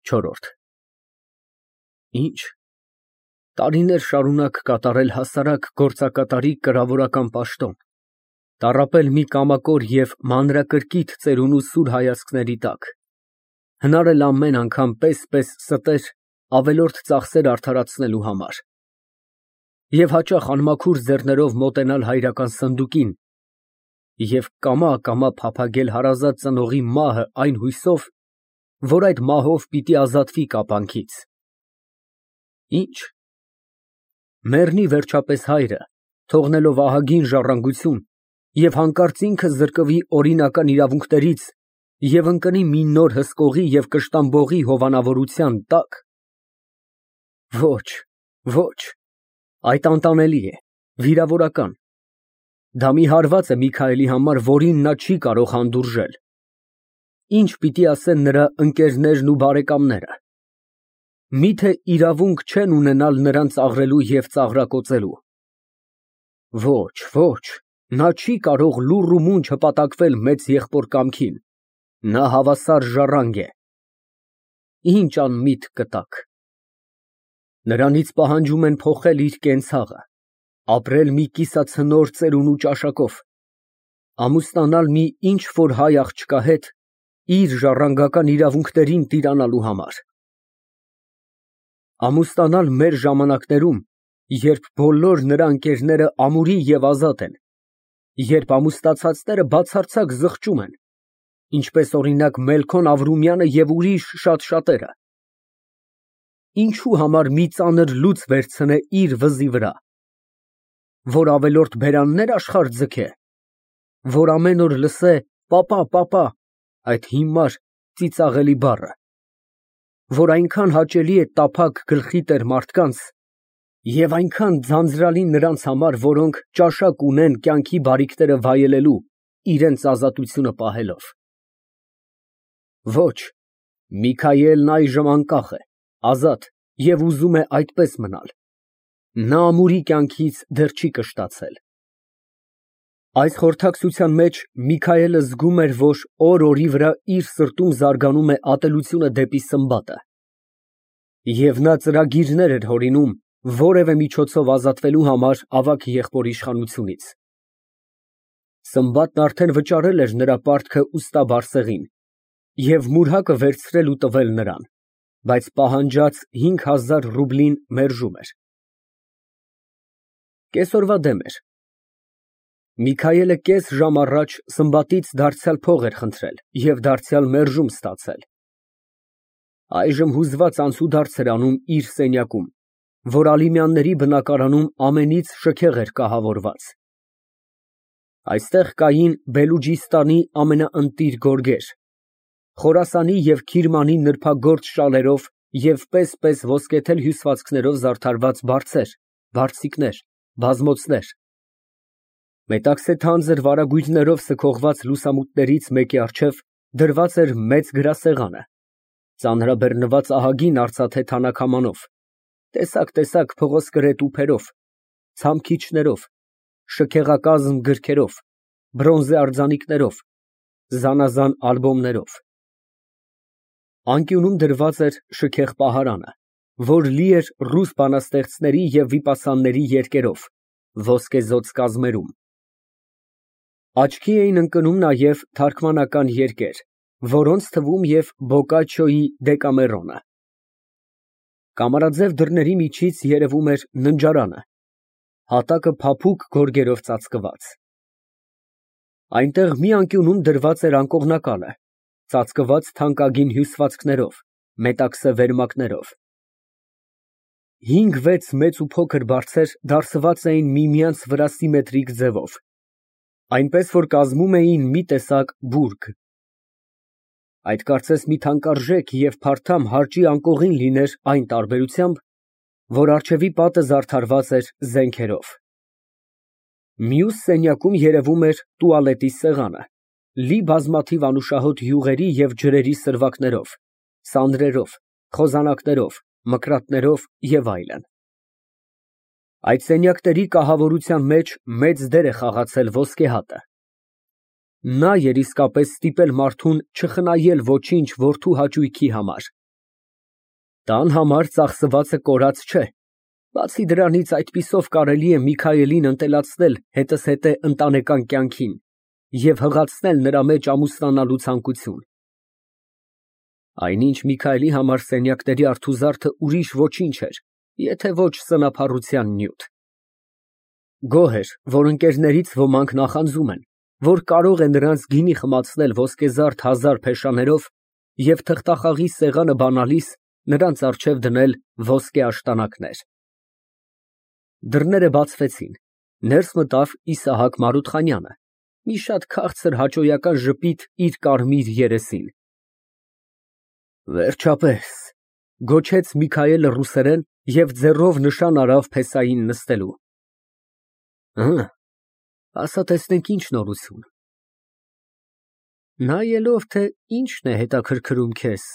Չորրորդ Ինչ, տարիներ շարունակ կատարել հասարակ գործակատարի կրավորական պաշտոն, տառապել մի կամակոր և մանրակրկիտ ծերունու սուր հայացքների տակ, հնարել ամեն անգամ պես ստեր ավելորդ ծախսեր արդարացնելու համար և հաճախ անմաքուր ձեռներով մոտենալ հայրական սնդուկին և կամա փափագել հարազատ ծնողի մահը այն հույսով, որ այդ մահով պիտի ազատվի կապանքից։ Ինչ, մեռնի վերջապես հայրը, թողնելով ահագին ժառանգություն և հանկարծ ինքը զրկվի օրինական իրավունքներից և ընկնի մի նոր հսկողի և կշտամբողի հովանավորության տակ։ Ոչ, ոչ, այդ անտանելի է, վիրավորական։ Դա մի հարված է Միքայելի համար, որին նա չի կարող հանդուրժել։ Ինչ պիտի ասեն նրա ընկերներն ու բարեկամները։ Միթե իրավունք չեն ունենալ նրան ծաղրելու և ծաղրակոծելու։ Ոչ, ոչ, նա չի կարող լուռ ու մունջ հպատակվել մեծ եղբոր կամքին, նա հավասար ժառանգ է։ Ինչ անմիտ կտակ։ Նրանից պահանջում են փոխել իր կենցաղը, ապրել մի կիսացնոր ծերունու ճաշակով, ամուսնանալ մի ինչ֊որ հայ աղջկա հետ իր ժառանգական իրավունքներին տիրանալու համար։ Ամուսնանալ մեր ժամանակներում, երբ բոլոր նրա ընկերները ամուրի և ազատ են, երբ ամուսնացածները բացարձակ զղջում են, ինչպես օրինակ Մելքոն Ավրումյանը և ուրիշ շատերը։ Ինչու համար մի ծանր լուծ վերցնե իր վզի վրա, որ ավելորդ բերաննե՞ր աշխարհ ձգե, որ ամեն օր լսե պապա, այդ հիմար, ծիծաղելի բառը, որ այնքան հաճելի է տափակ գլխի տեր մարդկանց և այնքան ձանձրալի նրանց համար, որոնք ճաշակ ունեն կյանքի բարիքները վայելելու, իրենց ազատությունը պահելով։ Ոչ, Միքայելն այժմ անկախ է, ազատ և ուզում է այդպես մնալ։ Նա ամուրի կյանքից դեռ չի կշտացել։ Այս խորհրդակցության մեջ Միքայելը զգում էր, որ օր֊օրի վրա իր սրտում զարգանում է ատելությունը դեպի Սմբատը, և նա ծրագիրներ էր հորինում որևէ միջոցով ազատվելու համար ավագ եղբորի իշխանությունից։ Սմբատն արդեն վճարել էր նրա պարտքը ուստա Բարսեղին և մուրհակը վերցրել ու տվել նրան, բայց պահանջած 5000 ռուբլին մերժում էր։ Կեսօրվա դեմ էր։ Միքայելը կես ժամ առաջ Սմբատից դարձյալ փող էր խնդրել և դարձյալ մերժում ստացել։ Այժմ հուզված անցուդարձ էր անում իր սենյակում, որ Ալիմյանների բնակարանում ամենից շքեղ էր կահավորված։ Այստեղ կային Բելուջիստանի ամենաընտիր գորգեր, Խորասանի և Քիրմանի նրբագործ շալերով և պես ոսկեթել հյուսվածքներով զարդարված բարձեր, բարձիկներ, բազմոցներ։ Մետաքսե թանձր վարագույրներով սքողված լուսամուտներից մեկի առջև դրված էր մեծ գրասեղանը, ծանրաբեռնված ահագին արծաթե թանաքամանով, տեսակ փղոսկրե տուփերով, ցամքիչներով, շքեղակազմ գրքերով, բրոնզե արձանիկներով, զանազան ալբոմներով։ Անկյունում դրված էր շքեղ պահարանը, որ լի էր ռուս բանաստեղծների և վիպասանների երգերով, ոսկեզօծ կազմերում։ Աչքի էին ընկնում նաև թարգմանական երգեր, որոնց թվում և Բոկաչչոյի Դեկամերոնը։ Կամարաձև դռների միջից երևում էր ննջարանը, հատակը փափուկ գորգերով ծածկված։ Այնտեղ մի անկյունում դրված էր անկողնակալը, ծածկված թանկագին հյուսվածքներով, մետաքսե վերմակներով։ 5-6 մեծ ու փոքր բարձեր դարսված էին միմյանց վրա սիմետրիկ ձևով, այնպես որ կազմում էին մի տեսակ բուրգ։ Այդ կարծես մի թանկարժեք և փարթամ հարճի անկողին լիներ այն տարբերությամբ, որ առջևի պատը զարդարված էր զենքերով։ Մյուս սենյակում երևում էր տուալետի սեղանը, լի բազմաթիվ անուշահոտ յուղերի և ջրերի սրվակներով, սանրերով, խոզանակներով, մկրատներով և այլն։ Այդ սենյակների կահավորության մեջ մեծ դեր է խաղացել ոսկեհատը։ Նա էր իսկապես ստիպել մարդուն չխնայել ոչինչ որդու հաճույքի համար։ Տան համար ծախսվածը կորած չէ։ Բացի դրանից այդպիսով կարելի է Միքայելին ընտելացնել հետզհետե ընտանեկան կյանքին և հղացնել նրա մեջ ամուսնանալու ցանկություն։ Այնինչ Միքայելի համար սենյակների արդուզարդը ուրիշ ոչինչ էր, եթե ոչ սնափառության նյութ։ Գոհ էր, որ ընկերներից ոմանք նախանձում են, որ կարող է նրանց գինի խմացնել ոսկեզարդ 1000 փեշաներով և թղթախաղի սեղանը բանալիս նրանց առջև դնել ոսկե աշտանակներ։ Դռները բացվեցին, ներս մտավ Իսահակ Մարութխանյանը, մի շատ քաղցր հաճոյական ժպիտ իր կարմիր երեսին։ Վերջապես, գոչեց Միքայելը ռուսերեն և ձեռով նշան արավ փեսային նստելու։ Ասա տեսնենք ինչ նորություն։ Նայելով, թե ինչն է հետաքրքրում քեզ,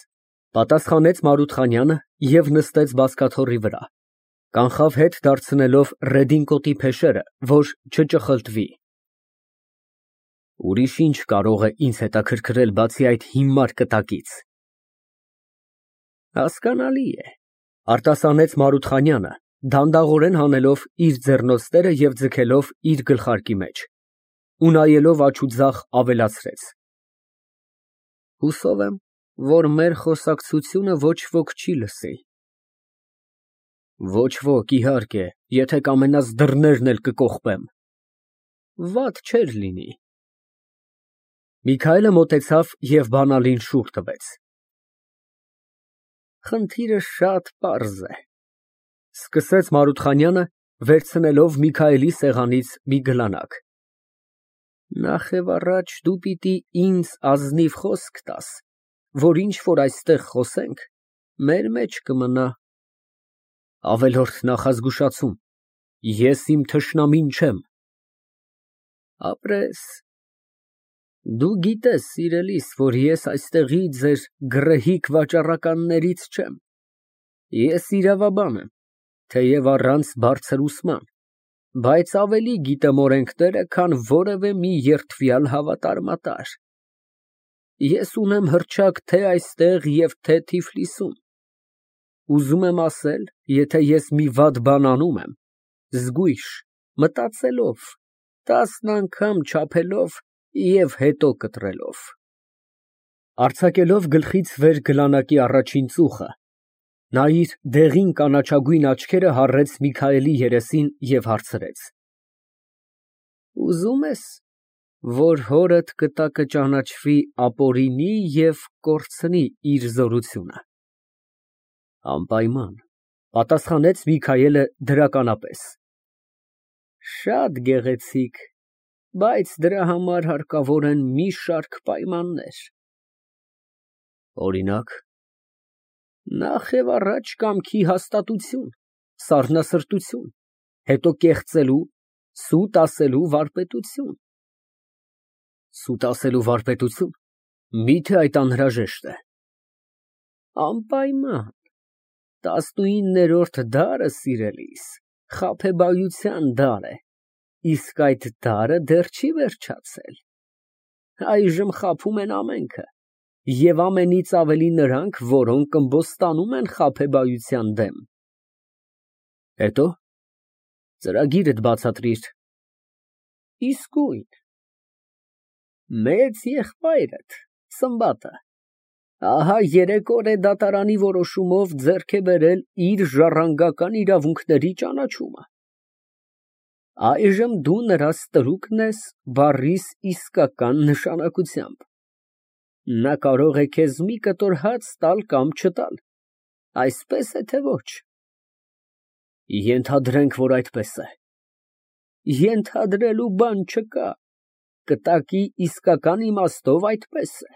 պատասխանեց Մարութխանյանը և նստեց բազկաթոռի վրա, կանխավ հետ դարձնելով ռեդինկոտի փեշերը, որ չճխլտվի։ Ուրիշ ինչ կարող է ինձ հետաքրքրել, բացի այդ հիմար կտակից։ Հասկանալի է, արտասանեց Մարութխանյանը, դանդաղորեն հանելով իր ձեռնոցները և ձգելով իր գլխարկի մեջ, ու նայելով աջ ու ձախ ավելացրեց. Հուսով եմ, որ մեր խոսակցությունը ոչ ոք չի լսի։ Ոչ ոք, իհարկե, եթե կամենաս դռներն էլ կկողպեմ։ Վատ չէր լինի։ Միքայելը մոտեցավ և բանալին շուռ տվեց։ Խնդիրը շատ պարզ է, սկսեց Մարութխանյանը, վերցնելով Միքայելի սեղանից մի գլանակ։ Նախևառաջ դու պիտի ինձ ազնիվ խոսք տաս, որ ինչ որ այստեղ խոսենք, մեր մեջ կմնա։ Ավելորդ նախազգուշացում, ես իմ թշնամին չեմ։ Ապրես։ Դու գիտես, սիրելիս, որ ես այստեղի ձեր գռեհիկ վաճառականներից չեմ։ Ես իրավաբան եմ, թեև առանց բարձր ուսման, բայց ավելի գիտեմ օրենքները, քան որևէ մի երդվյալ հավատարմատար։ Ես ունեմ հռչակ թե այստեղ և թե Թիֆլիսում։ Ուզում եմ ասել, եթե ես մի վատ բան անում եմ, զգույշ, մտածելով, 10 անգամ չափելով և հետո կտրելով։ Արձակելով գլխից վեր գլանակի առաջին ծուխը, նա իր դեղին կանաչագույն աչքերը հառեց Միքայելի երեսին և հարցրեց. Ուզում ես, որ հորդ կտակը ճանաչվի ապօրինի և կորցնի իր զորությունը։ Անպայման, պատասխանեց Միքայելը դրականապես։ Շատ գեղեցիկ, բայց դրա համար հարկավոր են մի շարք պայմաններ։ Օրինակ, նախևառաջ կամքի հաստատություն, սառնասրտություն, հետո կեղծելու, սուտ ասելու վարպետություն։ Սուտ ասելու վարպետություն, մի՞թե այդ անհրաժեշտ է։ Անպայման, 19-րդ դարը, սիրելիս, խաբեբայության դար է, իսկ այդ դարը դեռ չի վերջացել։ Այժմ խաբում են ամենքը, և ամենից ավելի նրանք, որոնք ըմբոստանում են խաբեբայության դեմ։ Հետո ծրագիրդ բացատրիր։ Իսկույն։ Մեծ եղբայրդ, Սմբատը, ահա 3 օր է դատարանի որոշումով ձեռք է բերել իր ժառանգական իրավունքների ճանաչումը։ Այժմ դու նրա ստրուկն ես բառիս իսկական նշանակությամբ։ Նա կարող է քեզ մի կտոր հաց տալ կամ չտալ, այսպես է թե ոչ։ Ենթադրենք, որ այդպես է։ Ենթադրելու բան չկա, կտակի իսկական իմաստով այդպես է։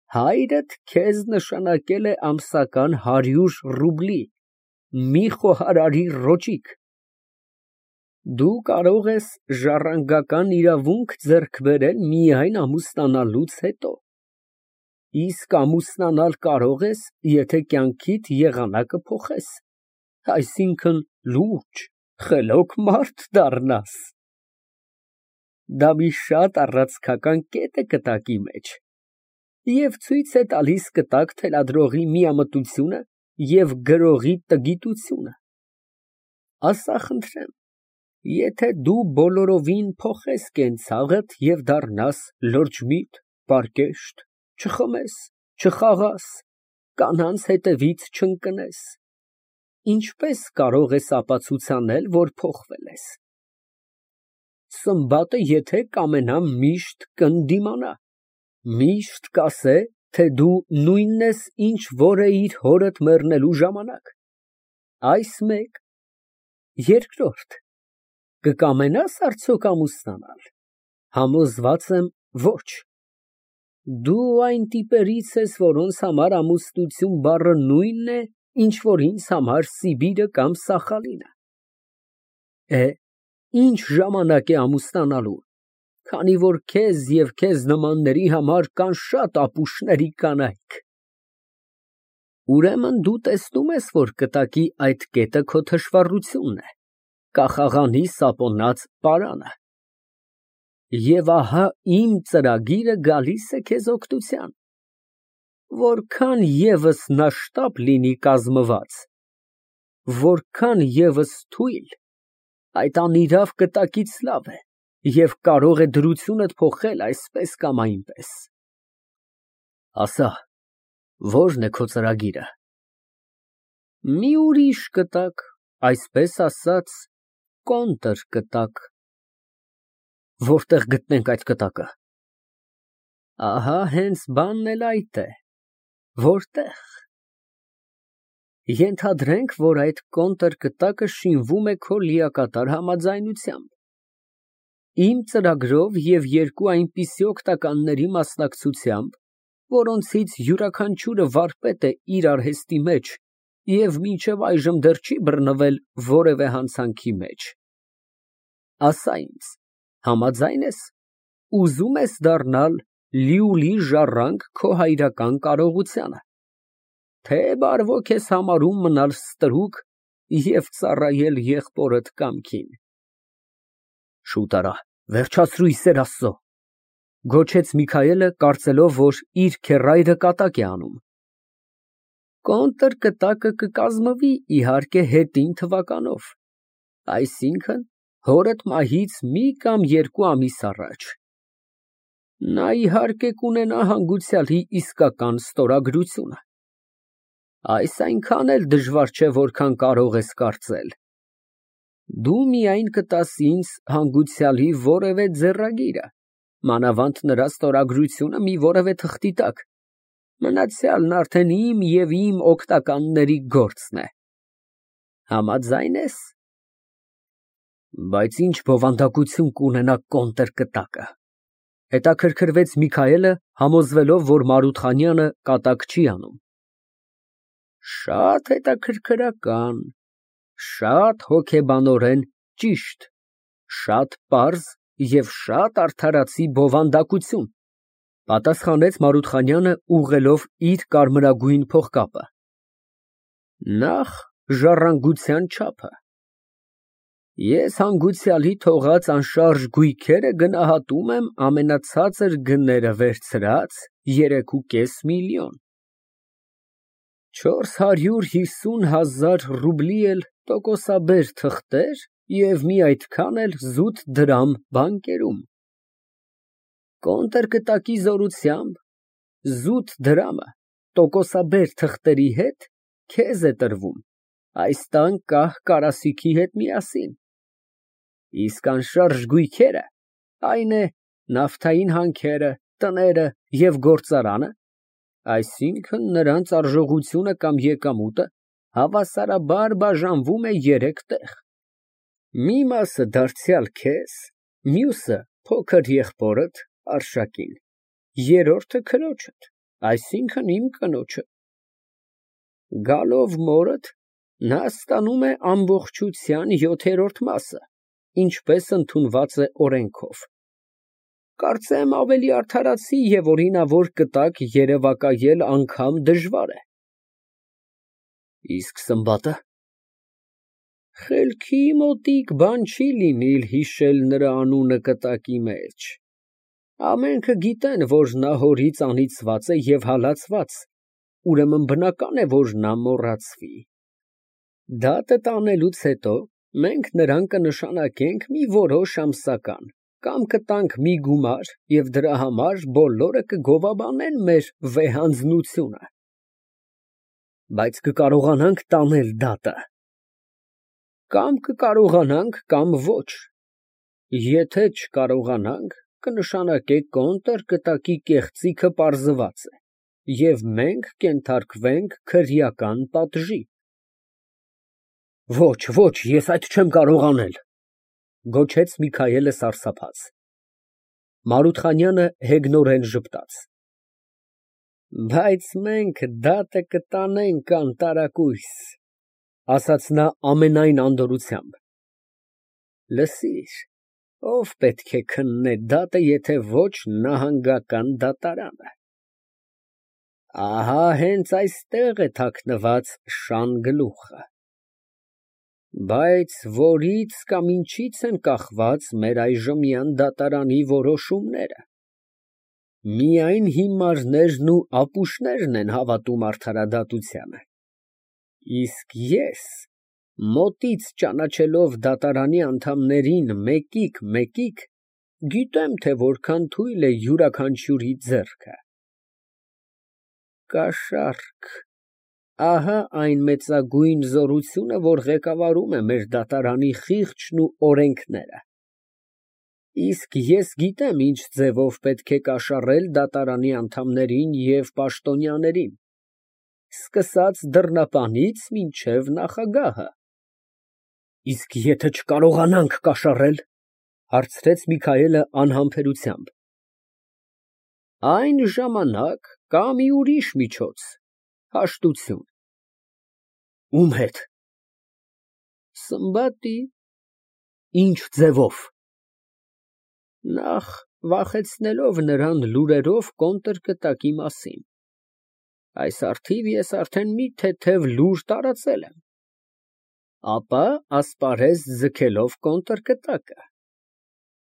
Հայրդ քեզ նշանակել է ամսական 100 ռուբլի, մի խոհարարի ռոճիկ։ Դու կարող ես ժառանգական իրավունք ձեռք բերել միայն ամուսնանալուց հետո, իսկ ամուսնանալ կարող ես, եթե կյանքիդ եղանակը փոխես, այսինքն լուրջ, խելոք մարդ դառնաս։ Դա մի շատ առացքական կետ է կտակի մեջ և ցույց է տալիս կտակ թելադրողի միամտությունը և գրողի տգիտությունը։ Ասա խնդրեմ, եթե դու բոլորովին փոխես կենցաղդ և դառնաս լրջմիտ, պարկեշտ, չխմես, չխաղաս, կանանց հետևից չընկնես, ինչպե՞ս կարող ես ապացուցանել, որ փոխվել ես։ Սմբատը եթե կամենա միշտ կընդդիմանա, միշտ կասե, թե դու նույնն ես, ինչ որ էիր հորդ մեռնելու ժամանակ։ Այս մեկ։ Երկրորդ, կկամենա՞ս արդյոք ամուսնանալ։ Համոզված եմ, ոչ։ Դու այն տիպերից ես, որոնց համար ամուսնություն բառը նույնն է, ինչ որ ինձ համար Սիբիրը կամ Սախալինը։ Ինչ ժամանակ է ամուսնանալու, քանի որ քեզ և քեզ նմանների համար կան շատ ապուշների կանայք։ Ուրեմն դու տեսնում ես, որ կտակի այդ կետը քո թշվառությունն է, կախաղանի սապոնած պարանը։ Եվ ահա իմ ծրագիրը գալիս է քեզ օգնության։ Որքան ևս նա շտապ լինի կազմված, որքան ևս թույլ, այդ անիրավ կտակից լավ է և կարող է դրությունդ փոխել այսպես կամ այնպես։ Ասա, ո՞րն է քո ծրագիրը։ Մի ուրիշ կտակ, այսպես ասած, կոնտր կտակ։ Որտե՞ղ գտնենք այդ կտակը։ Ահա հենց բանն էլ այդ է, որտե՞ղ։ Ենթադրենք, որ այդ կոնտր կտակը շինվում է քո լիակատար համաձայնությամբ։ Իմ ծրագրով և երկու այնպիսի օգնականների մասնակցությամբ, որոնցից յուրաքանչյուրը վարպետ է իր արհեստի մեջ և մինչև այժմ դեռ չի բռնվել որևէ հանցանքի մեջ։ Ասա ինձ, համաձա՞յն ես, ուզում ես դառնալ լիուլի ժառանգ քո հայրական կարողությանը, թե բարվոք ես համարում մնալ ստրուկ և ծառայել եղբորդ կամքին։ Շուտ արա, վերջացրու, ի սեր Աստծո, գոչեց Միքայելը, կարծելով, որ իր քեռայրը կատակ է անում։ Կոնտր կտակը կկազմվի, իհարկե, հետին թվականով, այսինքն հորդ մահից մի կամ երկու ամիս առաջ։ Նա իհարկե կունենա հանգուցյալի իսկական ստորագրությունը։ Այս այնքան էլ դժվար չէ, որքան կարող ես կարծել։ Դու միայն կտաս ինձ հանգուցյալի որևէ ձեռագիրը, մանավանդ նրա ստորագրությունը մի որևէ թղթի տակ, մնացյալն արդեն իմ և իմ օգնականների գործն է։ Համաձայն ես։ Բայց ինչ բովանդակություն կունենա կոնտր կտակը, հետաքրքրվեց Միքայելը, համոզվելով, որ Մարութխանյանը կատակ չի անում։ Շատ հետաքրքրական, շատ հոգեբանորեն ճիշտ, շատ պարզ և շատ արդարացի բովանդակություն, պատասխանեց Մարութխանյանը, ուղղելով իր կարմրագույն փողկապը։ Նախ ժառանգության չափը։ Ես հանգուցյալի թողած անշարժ գույքերը գնահատում եմ ամենացածր գները վերցրած 3,5 միլիոն։ 450,000 ռուբլի էլ տոկոսաբեր թղթեր և մի այդքան էլ զուտ դրամ բանկերում։ Կոնտր կտակի զորությամբ զուտ դրամը տոկոսաբեր թղթերի հետ քեզ է տրվում այս տան կահ կարասիքի հետ միասին, իսկ անշարժ գույքերը, այն է նավթային հանքերը, տները և գործարանը, այսինքն նրանց արժողությունը կամ եկամուտը հավասարաբար բաժանվում է 3 տեղ. մի մասը դարձյալ քեզ, մյուսը փոքր եղբորդ Արշակին, երրորդը քրոջդ, այսինքն իմ կնոջը։ Գալով մորդ, նա ստանում է ամբողջության 7-րդ մասը, ինչպես ընդունված է օրենքով։ Կարծեմ ավելի արդարացի և օրինավոր կտակ երևակայել անգամ դժվար է։ Իսկ սմբատը։ Խելքի մոտիկ բան չի լինիլ հիշել նրա անունը կտակի մեջ։ Ամենքը գիտեն, որ նա հորից անիծված է և հալածված, ուրեմն բնական է, որ նա մոռացվի։ Դատը տանելուց հետո մենք նրան կնշանակենք մի որոշ ամսական, կամ կտանք մի գումար և դրա համար բոլորը կգովաբանեն մեր վեհանձնությունը։ Բայց կկարողանանք տանել դատը։ Կամ կկարողանանք, կամ ոչ։ Եթե չկարողանանք, կնշանակեք կոնտր կտակի կեղծիքը պարզված է, և մենք կենթարկվենք քրեական պատժի։ Ոչ, ոչ, ես այդ չեմ կարող անել, գոչեց Միքայելը սարսափած։ Մարութխանյանը հեգնորեն ժպտաց։ Բայց մենք դատը կտանենք անտարակույս, ասաց նա ամենայն անդորրությամբ։ Լսիր, ով պետք է քննե դատը, եթե ոչ նահանգական դատարանը։ Ահա հենց այստեղ է թաքնված շան գլուխը։ Բայց որից կամ ինչից են կախված մեր այժմյան դատարանի որոշումները։ Միայն հիմարներն ու ապուշներն են հավատում արդարադատությանը։ Իսկ ես, մոտից ճանաչելով դատարանի անդամներին մեկիկ, գիտեմ, թե որքան թույլ է յուրաքանչյուրի ձեռքը։ Կաշառք, ահա այն մեծագույն զորությունը, որ ղեկավարում է մեր դատարանի խիղճն ու օրենքները։ Իսկ ես գիտեմ ինչ ձևով պետք է կաշառել դատարանի անդամներին և պաշտոնյաներին, սկսած դռնապանից մինչև նախագահը։ Իսկ եթե չկարողանանք կաշառել, հարցրեց Միքայելը անհամբերությամբ։ Այն ժամանակ կա մի ուրիշ միջոց, հաշտություն։ Ում հետ։ Սմբատի։ Ինչ ձևով։ Նախ վախեցնելով նրան լուրերով կոնտր կտակի մասին։ Այս առթիվ ես արդեն մի թեթև լուր տարածել եմ։ Ապա ասպարեզ ձգելով կոնտր կտակը։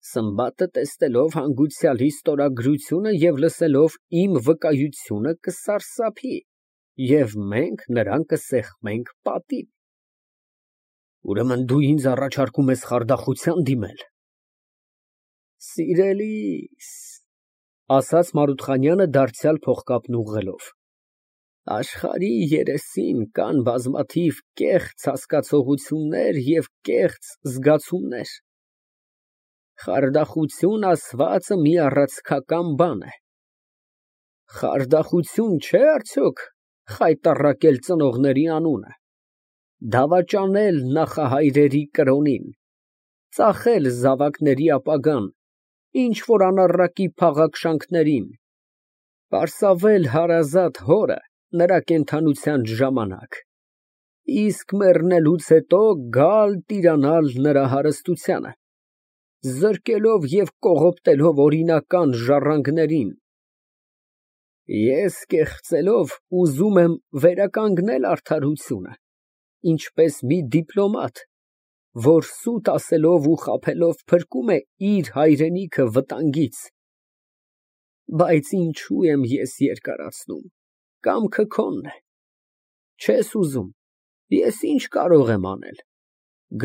Սմբատը տեսնելով հանգուցյալի ստորագրությունը և լսելով իմ վկայությունը կսարսափի, և մենք նրան կսեղմենք պատին։ Ուրեմն դու ինձ առաջարկում ես խարդախության դիմել։ Սիրելիս, ասաց Մարութխանյանը դարձյալ փողկապն ուղղելով, աշխարհի երեսին կան բազմաթիվ կեղծ հասկացություններ և կեղծ զգացումներ։ Խարդախություն ասվածը մի առացքական բան է։ Խարդախություն չէ արդյոք խայտառակել ծնողների անունը, դավաճանել նախահայրերի կրոնին, ծախել զավակների ապագան, ինչ-որ անառակի փաղաքշանքներին, պարսավել հարազատ հորը նրա կենդանության ժամանակ, իսկ մեռնելուց հետո գալ տիրանալ նրա հարստությանը, զրկելով և կողոպտելով օրինական ժառանգներին։ Ես կեղծելով ուզում եմ վերականգնել արդարությունը, ինչպես մի դիպլոմատ, որ սուտ ասելով ու խաբելով փրկում է իր հայրենիքը վտանգից։ Բայց ինչու եմ ես երկարացնում, կամքը քոնն է։ Չես ուզում, ես ինչ կարող եմ անել։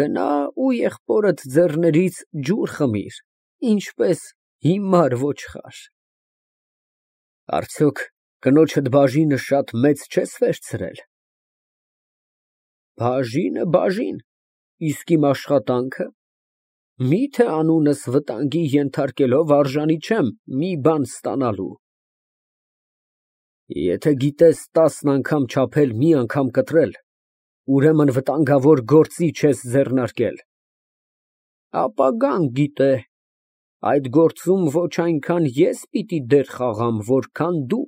Գնա ու եղբորդ ձեռներից ջուր խմիր, ինչպես հիմար ոչխար։ Արդյոք կնոջդ բաժինը շատ մեծ չես վերցրել։ Բաժինը բաժին, իսկ իմ աշխատանքը։ Մի՞թե անունս վտանգի ենթարկելով արժանի չեմ մի բան ստանալու։ Եթե գիտես 10 անգամ չափել, մի անգամ կտրել, ուրեմն վտանգավոր գործի չես ձեռնարկել։ Ապագան գիտե, այդ գործում ոչ այնքան ես պիտի դեր խաղամ, որքան դու։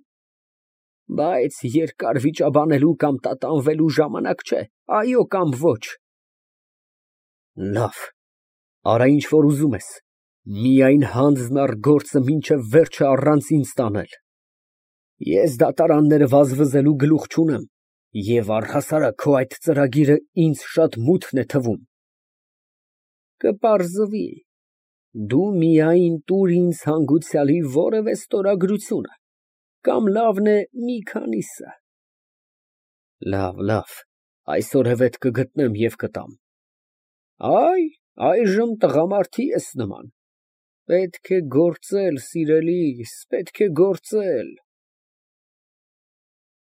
Բայց երկար վիճաբանելու կամ տատանվելու ժամանակ չէ, այո կամ ոչ։ Լավ, արա ինչ որ ուզում ես, միայն հանձն առ գործը մինչև վերջը առանց ինձ տանել։ Ես դատարանները վազվզելու գլուխ չունեմ, և առհասարակ քո այդ ծրագիրը ինձ շատ մութն է թվում։ Կպարզվի, դու միայն տուր ինձ հանգուցյալի որևէ ստորագրությունը, կամ լավն է մի քանիսը։ Լավ, այսօրևետ կգտնեմ և կտամ։ Այ, այժմ տղամարդի ես նման։ Պետք է գործել, սիրելիս, պետք է գործել։